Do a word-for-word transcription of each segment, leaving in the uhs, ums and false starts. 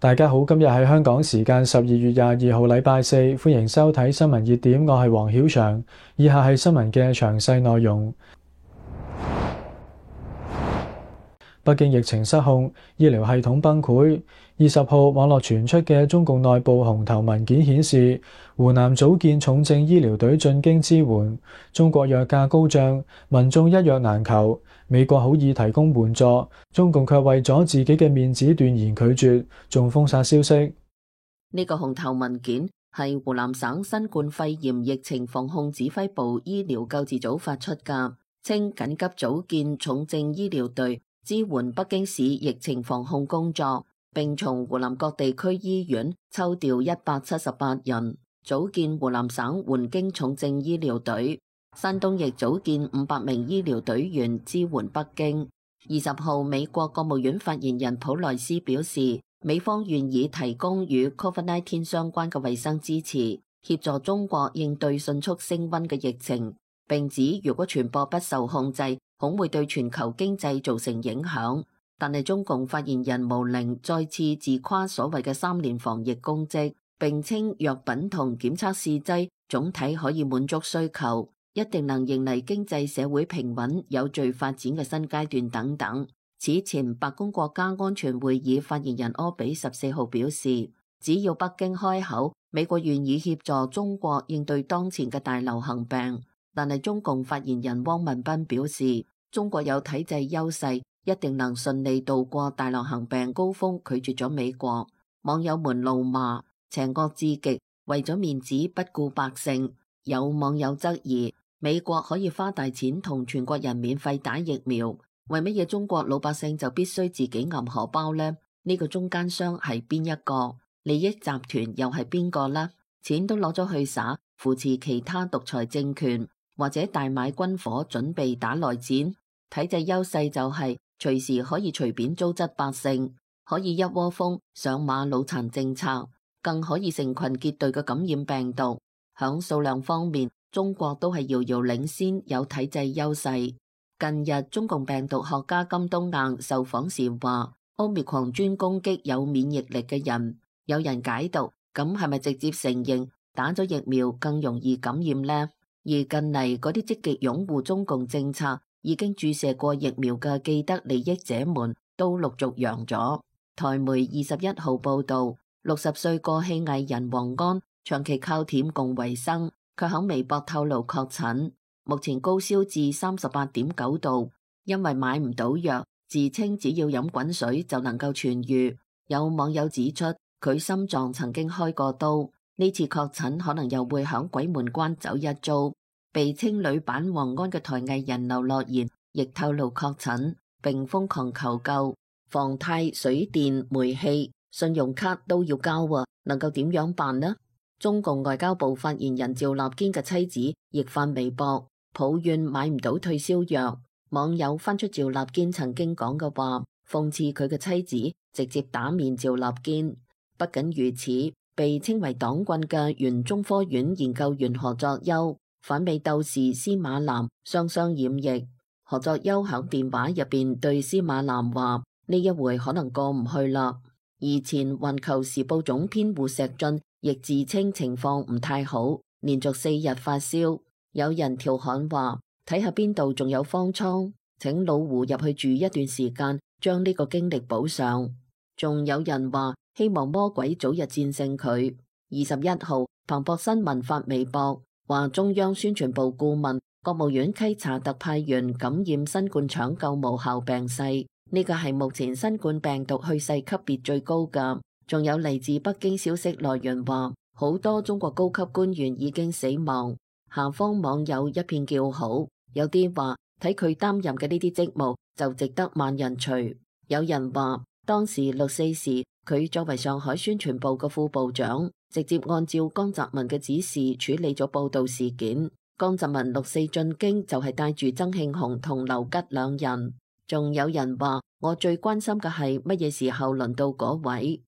大家好，今日係香港時間十二月廿二號禮拜四，歡迎收睇新聞熱點，我係黃曉翔。以下係新聞嘅詳細內容。北京疫情失控，醫療系統崩潰。二十號網絡傳出嘅中共內部紅頭文件顯示，湖南組建重症醫療隊進京支援。中國藥價高漲，民眾一藥難求。美國好意提供援助，中共卻為咗自己嘅面子斷言拒絕，仲封殺消息。呢個紅頭文件係湖南省新冠肺炎疫情防控指揮部醫療救治組發出㗎，稱緊急組建重症醫療隊，支援北京市疫情防控工作，並從湖南各地區醫院抽調一百七十八人，組建湖南省援京重症醫療隊。山東亦組建五百名醫療隊員支援北京。二十號，美國國務院發言人普萊斯表示，美方願意提供與 Covid 十九 相關嘅衛生支持，協助中國應對迅速升溫嘅疫情，並指如果傳播不受控制，恐會對全球經濟造成影響。但係中共發言人毛寧再次自誇所謂嘅三年防疫功績，並稱藥品同檢測試劑總體可以滿足需求，一定能迎嚟經濟社會平穩有序發展嘅新階段等等。此前，白宮國家安全會議發言人柯比十四號表示，只要北京開口，美國願意協助中國應對當前嘅大流行病。但係中共發言人汪文斌表示，中國有體制優勢，一定能順利度過大流行病高峰，拒絕咗美國。網友們怒罵邪惡至極，為咗面子不顧百姓。有網友質疑，美國可以花大錢同全國人免費打疫苗，為乜嘢中國老百姓就必須自己揞荷包呢？呢個中間商係邊一個？利益集團又係邊個呢？錢都攞咗去耍，扶持其他獨裁政權，或者大買軍火準備打內戰。體制優勢就係隨時可以隨便糟質百姓，可以一窩蜂上馬腦殘政策，更可以成群結隊嘅感染病毒。響數量方面，中國都係遙遙領先，有體制優勢。近日，中共病毒學家金冬雁受訪時話，Omicron專攻擊有免疫力嘅人。有人解讀，咁係咪直接承認打咗疫苗更容易感染呢？而近嚟嗰啲積極擁護中共政策，已經注射過疫苗嘅既得利益者們都陸續陽咗。台媒二十一號報道，六十歲過氣藝人黃安長期靠舔共為生，卻喺微博透露確診，目前高燒至三十八點九度，因為買唔到藥，自稱只要飲滾水就能夠痊癒。有網友指出，佢心臟曾經開過刀，呢次確診可能又會響鬼門關走一遭。被稱女版黃安嘅台藝人劉樂妍亦透露確診，並瘋狂求救。房貸、水電、煤氣、信用卡都要交啊，能夠點樣辦呢？中共外交部發言人趙立堅嘅妻子亦發微博抱怨買唔到退燒藥，網友翻出趙立堅曾經講嘅話，諷刺佢嘅妻子直接打面趙立堅。不僅如此，被稱為黨棍嘅原中科院研究員何作優、反美鬥士司馬南雙雙染疫。何作優響電話入邊對司馬南話：呢一回可能過唔去啦。而前環球時報總編胡錫進亦自稱情況唔太好，連續四日發燒。有人調侃話：睇下邊度仲有方艙，請老胡入去住一段時間，將呢個經歷補上。仲有人話希望魔鬼早日戰勝佢。二十一號，彭博新聞發微博話，中央宣傳部顧問、國務院稽查特派員感染新冠搶救無效病逝，呢個係目前新冠病毒去世級別最高㗎。仲有嚟自北京消息來源話，好多中國高級官員已經死亡。下方網友一片叫好，有啲話睇佢擔任嘅呢啲職務就值得萬人隨。有人話當時六四時，佢作為上海宣傳部嘅副部長，直接按照江澤民嘅指示處理咗報道事件。江澤民六四進京就係帶住曾慶紅同劉吉兩人。仲有人話，我最關心嘅係乜嘢時候輪到嗰位。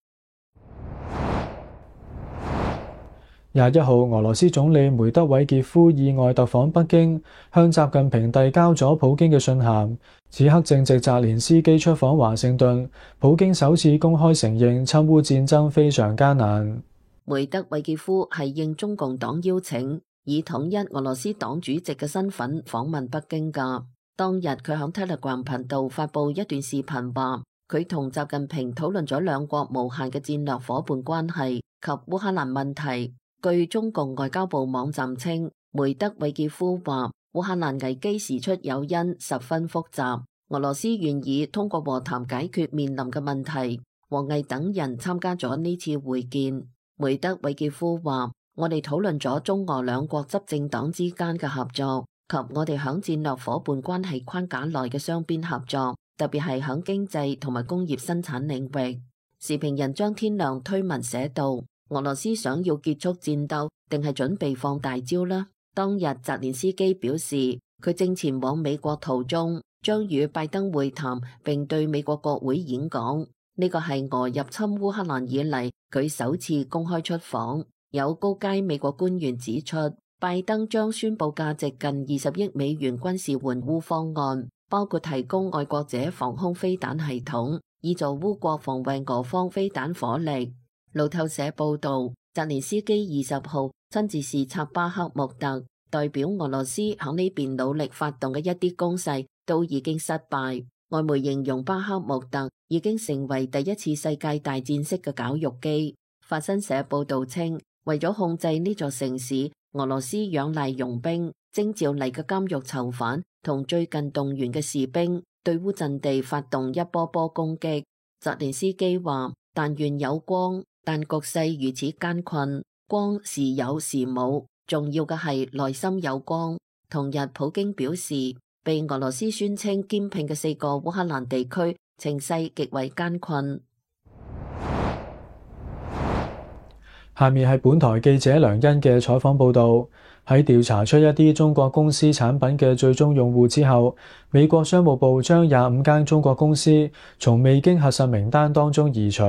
廿一號，俄羅斯總理梅德韋傑夫意外特訪北京，向習近平遞交咗普京嘅信函。此刻正值澤連斯基出訪華盛頓，普京首次公開承認侵烏戰爭非常艱難。梅德韋傑夫係應中共黨邀請，以統一俄羅斯黨主席嘅身份訪問北京㗎。當日佢響 Telegram 頻道發布一段視頻，話佢同習近平討論咗兩國無限嘅戰略夥伴關係及烏克蘭問題。據中共外交部網站稱，梅德韋傑夫話烏克蘭危機時出有因，十分複雜，俄羅斯願意通過和談解決面臨嘅問題。王毅等人參加咗呢次會見。梅德韋傑夫話：我哋討論咗中俄兩國執政黨之間嘅合作及我哋響戰略夥伴關係框架內嘅雙邊合作，特別係響經濟同埋工業生產領域。時評人張天亮推文寫道：俄羅斯想要結束戰鬥，定係準備放大招呢？當日澤連斯基表示，佢正前往美國途中，將與拜登會談，並對美國國會演講。呢個係俄入侵烏克蘭以嚟佢首次公開出訪。有高階美國官員指出，拜登將宣布價值近二十億美元軍事援烏方案，包括提供愛國者防空飛彈系統，以助烏國防衛俄方飛彈火力。路透社報道，澤連斯基二十號親自視察巴克穆特，代表俄羅斯喺呢邊努力發動嘅一啲攻勢都已經失敗。外媒形容巴克穆特已經成為第一次世界大戰式嘅絞肉機。法新社報道稱，為咗控制呢座城市，俄羅斯仰賴傭兵、徵召嚟嘅監獄囚犯同最近動員嘅士兵，對烏陣地發動一波波攻擊。澤連斯基話：但願有光，但局勢如此艱困，光時有時冇，重要嘅係內心有光。同日，普京表示，被俄羅斯宣稱兼併嘅四個烏克蘭地區情勢極為艱困。下面係本台記者梁欣嘅採訪報導。喺調查出一啲中國公司產品嘅最終用戶之後，美國商務部將廿五間中國公司從未經核實名單當中移除。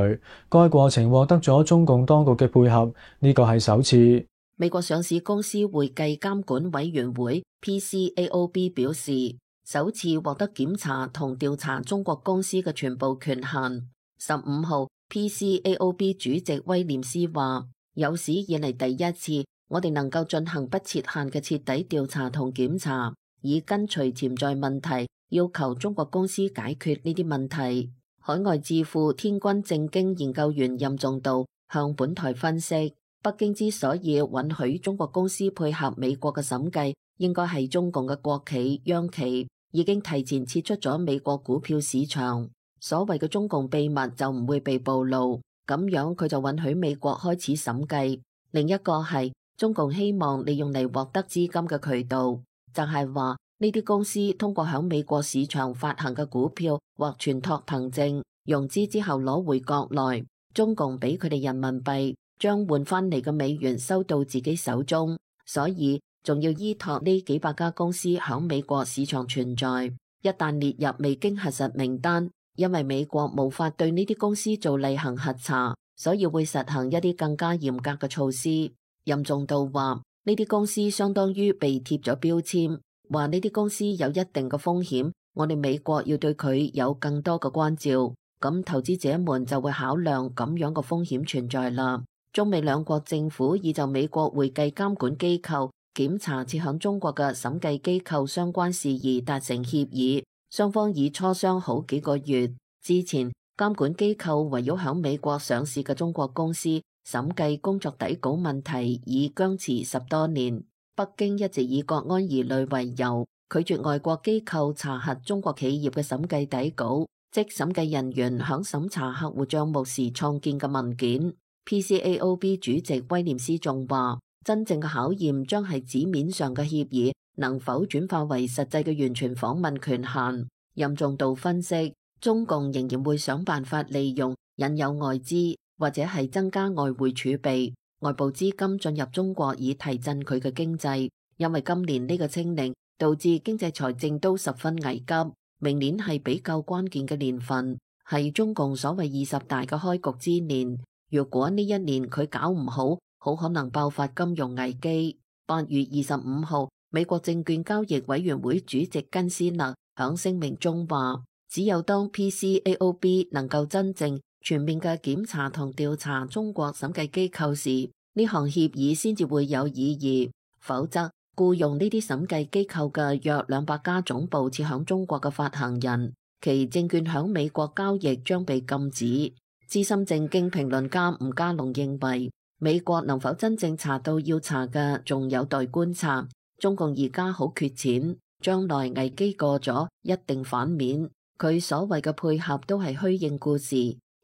該過程獲得咗中共當局嘅配合，呢個係首次。美國上市公司會計監管委員會 P C A O B 表示，首次獲得檢查同調查中國公司嘅全部權限。十五號 P C A O B 主席威廉斯話：有史以嚟第一次，我哋能夠進行不設限嘅徹底調查同檢查，以根除潛在問題，要求中國公司解決呢啲問題。海外智庫天君正經研究員任重道向本台分析，北京之所以允許中國公司配合美國嘅審計，應該係中共嘅國企央企已經提前撤出咗美國股票市場，所謂嘅中共秘密就唔會被暴露，咁樣佢就允許美國開始審計。另一個係中共希望利用嚟獲得資金嘅渠道，就係話呢啲公司通過響美國市場發行嘅股票或存託憑證融資之後攞回國內，中共俾佢哋人民幣，將換翻嚟嘅美元收到自己手中，所以仲要依託呢幾百家公司響美國市場存在。一旦列入未經核實名單，因為美國無法對呢啲公司做例行核查，所以會實行一啲更加嚴格嘅措施。任重道話，呢啲公司相當於被貼咗標籤，話呢啲公司有一定嘅風險，我哋美國要對佢有更多嘅關照，咁投資者們就會考量咁樣嘅風險存在啦。中美兩國政府已就美國會計監管機構檢查設響中國嘅審計機構相關事宜達成協議，雙方已磋商好幾個月。之前監管機構圍繞響美國上市嘅中國公司審計工作底稿問題已僵持十多年，北京一直以國安疑慮為由，拒絕外國機構查核中國企業嘅審計底稿，即審計人員響審查客戶賬目時創建嘅文件。P C A O B 主席威廉斯仲話，真正嘅考驗將係紙面上嘅協議能否轉化為實際嘅完全訪問權限。任重道分析，中共仍然會想辦法利用引誘外資或者係增加外匯儲備、外部資金進入中國以提振佢嘅經濟，因為今年呢個清零導致經濟財政都十分危急，明年係比較關鍵嘅年份，係中共所謂二十大嘅開局之年。如果呢一年佢搞唔好，好可能爆發金融危機。八月二十五號，美國證券交易委員會主席根斯納響聲明中話，只有當 P C A O B 能夠真正全面嘅檢查同調查中國審計機構時，呢項協議先至會有意義，否則僱用呢啲審計機構嘅約兩百家總部設響中國嘅發行人，其證券響美國交易將被禁止。資深政經評論家吳家龍認為，美國能否真正查到要查嘅，仲有待觀察。中共而家好缺錢，將來危機過咗一定反面。佢所謂嘅配合都係虛應故事，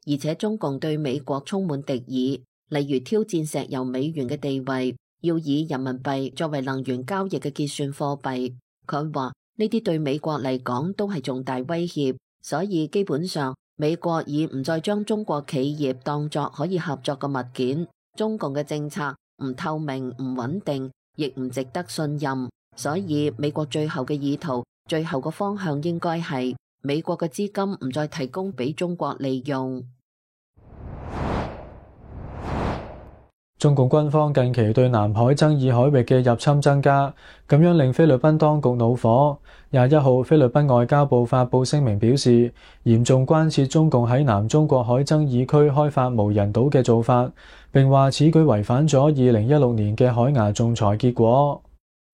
而且中共對美國充滿敵意，例如挑戰石油美元嘅地位，要以人民幣作為能源交易嘅結算貨幣。佢話呢啲對美國嚟講都係重大威脅，所以基本上美國已唔再將中國企業當作可以合作嘅物件。中共嘅政策唔透明、唔穩定，亦唔值得信任，所以美國最後嘅意圖、最後嘅方向應該係美國嘅資金唔再提供俾中國利用。中共軍方近期對南海爭議海域嘅入侵增加，咁樣令菲律賓當局惱火。廿一號，菲律賓外交部發布聲明表示，嚴重關切中共喺南中國海爭議區開發無人島嘅做法，並話此舉違反咗二零一六年嘅海牙仲裁結果。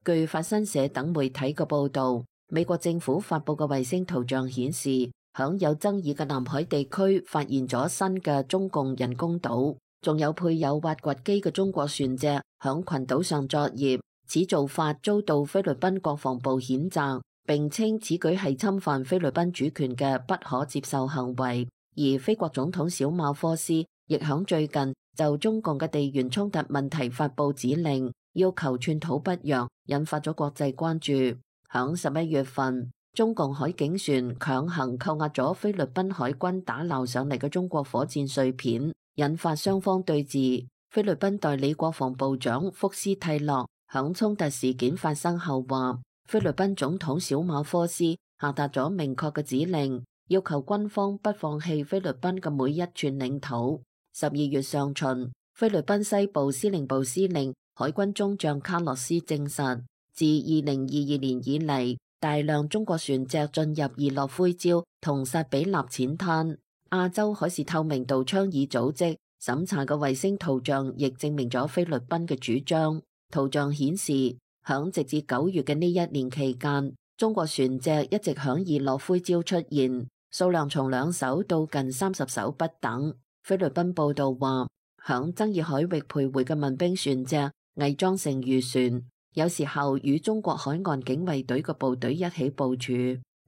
據法新社等媒體嘅報導，美國政府發布嘅衛星圖像顯示，響有爭議嘅南海地區發現咗新嘅中共人工島。仲有配有挖掘機嘅中國船隻響群島上作業，此做法遭到菲律賓國防部譴責，並稱此舉係侵犯菲律賓主權嘅不可接受行為。而菲國總統小馬科斯亦響最近就中共嘅地緣衝突問題發布指令，要求寸土不讓，引發咗國際關注。響十一月份，中共海警船強行扣押咗菲律賓海軍打撈上嚟嘅中國火箭碎片，引發雙方對峙。菲律賓代理國防部長福斯蒂洛響衝突事件發生後話，菲律賓總統小馬科斯下達咗明確嘅指令，要求軍方不放棄菲律賓嘅每一寸領土。十二月上旬，菲律賓西部司令部司令海軍中將卡洛斯證實，自二零二二年以嚟，大量中國船隻進入宜諾灰礁同薩比納淺灘。亞洲海事透明度倡議組織審查嘅衛星圖像亦證明咗菲律賓嘅主張。圖像顯示，響直至九月嘅呢一年期間，中國船隻一直響宜諾灰礁出現，數量從兩艘到近三十艘不等。菲律賓報道話，響爭議海域徘徊嘅民兵船隻偽裝成漁船，有時候與中國海岸警衛隊嘅部隊一起部署。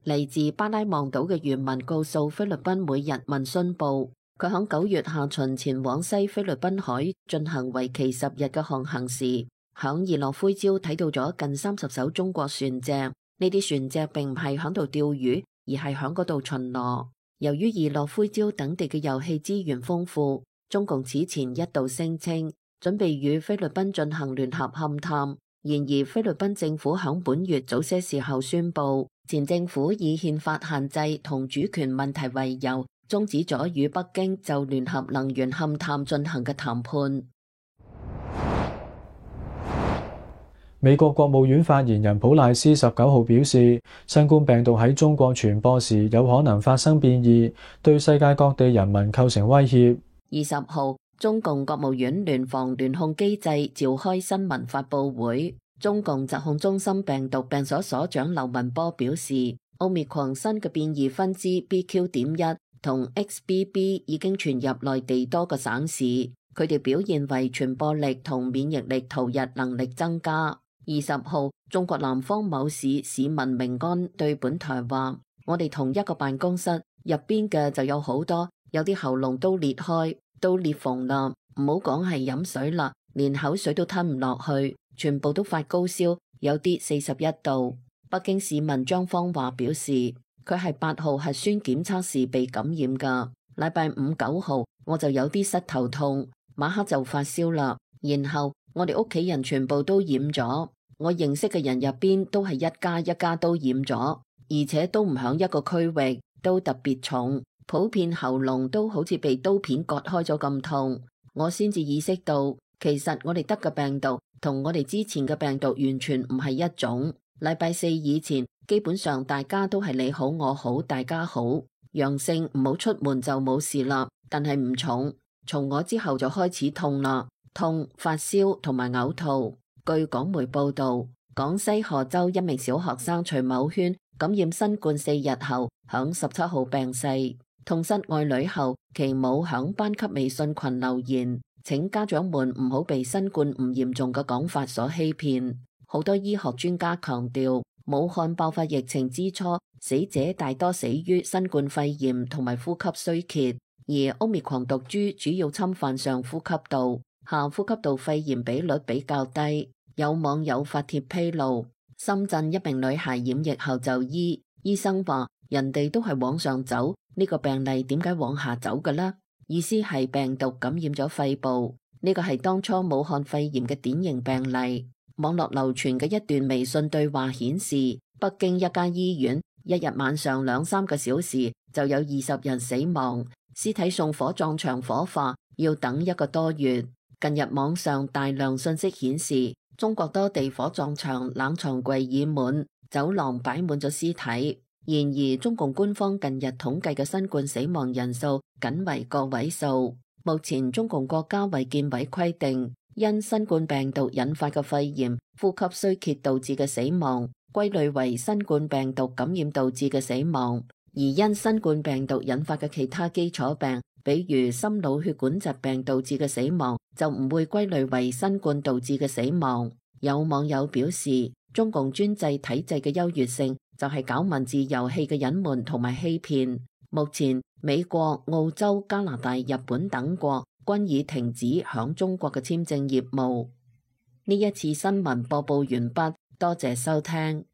嚟自巴拉望島嘅漁民告訴菲律賓每日問詢報，佢響九月下旬前往西菲律賓海進行為期十日嘅航行時，響宜諾灰礁睇到咗近三十艘中國船隻。呢啲船隻並唔係響度釣魚，而係響嗰度巡邏。由於宜諾灰礁等地嘅油氣資源豐富，中共此前一度聲稱準備與菲律賓進行聯合勘探。然而，菲律賓政府響本月早些時候宣布，前政府以憲法限制同主權問題為由，終止咗與北京就聯合能源勘探進行嘅談判。美國國務院發言人普賴斯十九號表示，新冠病毒喺中國傳播時有可能發生變異，對世界各地人民構成威脅。二十號，中共國務院聯防聯控機制召開新聞發佈會，中共疾控中心病毒病所所長劉文波表示，奧密克戎新嘅變異分支 B Q 點一同 X B B 已經傳入內地多個省市，佢哋表現為傳播力同免疫力逃逸能力增加。二十號，中國南方某市市民明安對本台話，我哋同一個辦公室入邊嘅就有好多，有啲喉嚨都裂開，都裂縫啦，唔好講係飲水啦，連口水都吞唔落去，全部都發高燒，有啲四十一度。北京市民張方華表示，佢係八號核酸檢測時被感染噶，禮拜五九號我就有啲膝頭痛，晚黑就發燒啦，然後我哋屋企人全部都染咗，我認識嘅人入邊都係一家一家都染咗，而且都唔響一個區域，都特別重，普遍喉嚨都好似被刀片割開咗咁痛，我先至意識到其實我哋得嘅病毒同我哋之前嘅病毒完全唔係一種。禮拜四以前，基本上大家都係你好我好大家好，陽性唔好出門就冇事啦，但係唔重。從我之後就開始痛啦，痛、發燒同埋嘔吐。據港媒報道，廣西賀州一名小學生徐某軒感染新冠四日後，響十七號病逝。痛失愛女後，其母響班級微信群留言，請家長們唔好被新冠唔嚴重嘅講法所欺騙。好多醫學專家強調，武漢爆發疫情之初，死者大多死於新冠肺炎同埋呼吸衰竭，而奧密克戎毒株主要侵犯上呼吸道，下呼吸道肺炎比率比較低。有網友發帖披露，深圳一名女孩染疫後就醫，醫生話人哋都係往上走，呢個病例點解往下走嘅呢？意思係病毒感染咗肺部，呢個係當初武漢肺炎嘅典型病例。網絡流傳嘅一段微信對話顯示，北京一家醫院一日晚上兩三個小時就有二十人死亡，屍體送火葬場火化要等一個多月。近日網上大量信息顯示，中國多地火葬場冷藏櫃已滿，走廊擺滿咗屍體。然而，中共官方近日統計嘅新冠死亡人數僅為個位數。目前，中共國家衛健委規定，因新冠病毒引發嘅肺炎、呼吸衰竭導致嘅死亡，歸類為新冠病毒感染導致嘅死亡；而因新冠病毒引發嘅其他基礎病，比如心腦血管疾病導致嘅死亡，就唔會歸類為新冠導致嘅死亡。有網友表示，中共專制體制嘅優越性就係搞文字遊戲嘅隱瞞同埋欺騙。目前，美國、澳洲、加拿大、日本等國均已停止響中國嘅簽證業務。呢一次新聞播報完畢，多謝收聽。